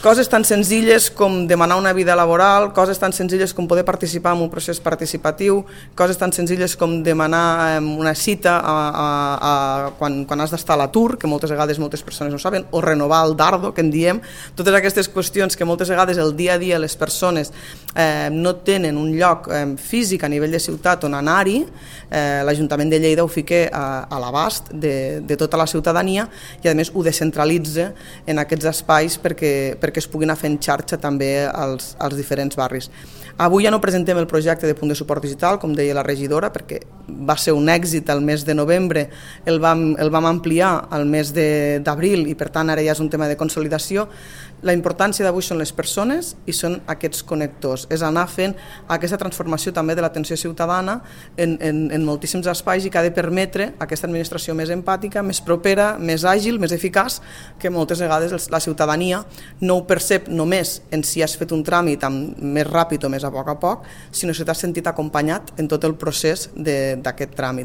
Coses tan senzilles com demanar una vida laboral, coses tan senzilles com poder participar en un procés participatiu, coses tan senzilles com demanar una cita quan has d'estar a l'atur, que moltes vegades moltes persones no saben, o renovar el dardo, que en diem. Totes aquestes qüestions que moltes vegades el dia a dia les persones no tenen un lloc físic a nivell de ciutat on anar-hi, l'Ajuntament de Lleida ho fica a l'abast de tota la ciutadania i a més ho descentralitza en aquests espais perquè es puguin anar fent xarxa també als diferents barris. Avui ja no presentem el projecte de punt de suport digital, com deia la regidora, perquè va ser un èxit el mes de novembre, el vam ampliar al mes d'abril i per tant ara ja és un tema de consolidació. La importància d'avui són les persones i són aquests connectors, és anar fent aquesta transformació també de l'atenció ciutadana en moltíssims espais i que ha de permetre aquesta administració més empàtica, més propera, més àgil, més eficaç, que moltes vegades la ciutadania no ho percep només en si has fet un tràmit més ràpid o més a poc, sinó si t'has sentit acompanyat en tot el procés d'aquest tràmit.